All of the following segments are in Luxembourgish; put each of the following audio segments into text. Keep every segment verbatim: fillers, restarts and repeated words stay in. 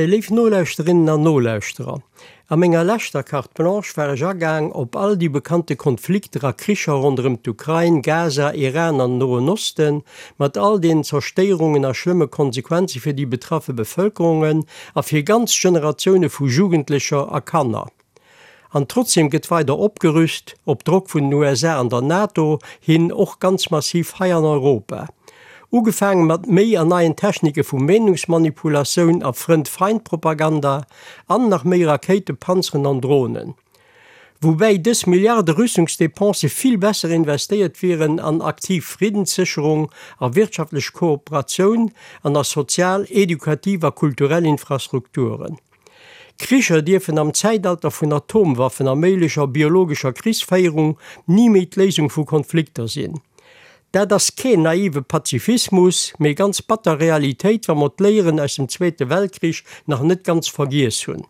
Léif Nolauschterinnen an Nolauschterer, a menger leschter Carte Blanche war ech agaang op all déi bekannte Konflikter a Kricher ronderëm d'Ukrain, Gaza, Iran an Noen Osten, mat all den Zerstéierungen a schlëmme Konsequenze fir déi betraffe Bevëlkerungen a fir ganz Generatioune vu Jugendlecher a Kanner. An trotzdeem gëtt weider opgerüst, op Drock vun den U S A an der NATO hin och ganz massiv hei an Europa. Ugefaange mat méi an neien Technike vu Meenungsmanipulatioun a Frënd-Feind-Propaganda an nach méi Rakéiten, Panzeren an Dronen. Woubäi dës Milliarde Rüstungsdepensë vill besser investéiert wieren an aktiv Friddenssécherung, a wirtschaftlech Kooperatioun an a sozial, edukativ a kulturell Infrastrukturen. Kricher dierfen am Zäitalter vun Atomwaffen a méiglecher biologescher Krichsféierung ni méi d'Léisung vu Konflikter sinn. Dat ass keen naive Pazifismus, mee ganz batter Realitéit, wa mer d'Léieren aus dem Zweete Weltkrich nach net ganz vergiess hunn.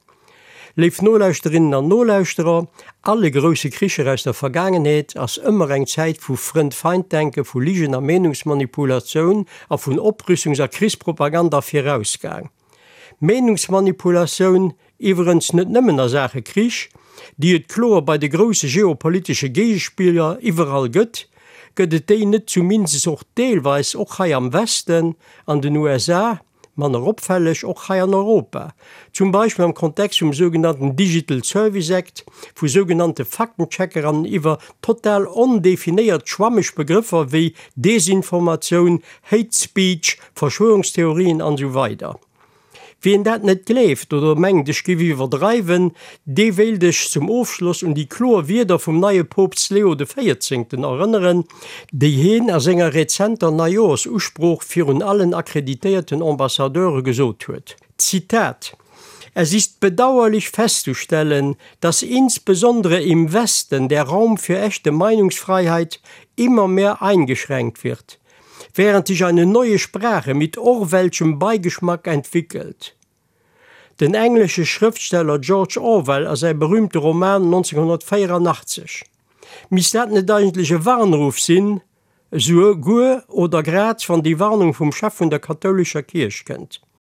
Léif Nolauschterinnen an Nolauschterer, alle grousse Kricher aus der Vergaangenheet ass ëmmer eng Zäit vu Frënd-Feind-Denke, vu Ligen a Meenungsmanipulatioun a vun Oprüstungs a Krichspropaganda virausgaang. Meenungsmanipulatioun, iwwerens net nëmmen a Saache Krich, déi et kloer bei de grousse geopolitesche Géigespiller iwwerall gëtt, gëtt et déi net zumindest och deelweis och hei am Westen, an den U S A, manner opfälleg och hei an Europa, zum Beispill am Kontext vum sougenannten Digital Service Act, vu sougenannte Faktenchecker an iwwer total ondefinéiert schwammeg Begrëffer wéi Desinformatioun, Hate Speech, Verschwörungstheorien an esou weider. Wien dat net gleeft oder mengt ech géif iwwerdreiwen, dee wéilt ech zum Ofschloss un déi kloer Wierder vum neie Poopst Leo de Véierzéngten erënneren, déi hien a senger rezenter Neijoerschusprooch virun allen akkreditéierten Ambassadeure gesot huet. Zitat: Es ist bedauerlich festzustellen, dass insbesondere im Westen der Raum für echte Meinungsfreiheit immer mehr eingeschränkt wird, während sich eine neue Sprache mit orwellschem Beigeschmack entwickelt. Den englesche Schrëftsteller George Orwell a säi berüümte Roman neunzehnhundertvéierundachtzeg. Misst dat net eigentlech e Warnruff sinn, souguer oder grad wann déi Warnung vum Chef vun der kathoulescher Kierch kënnt.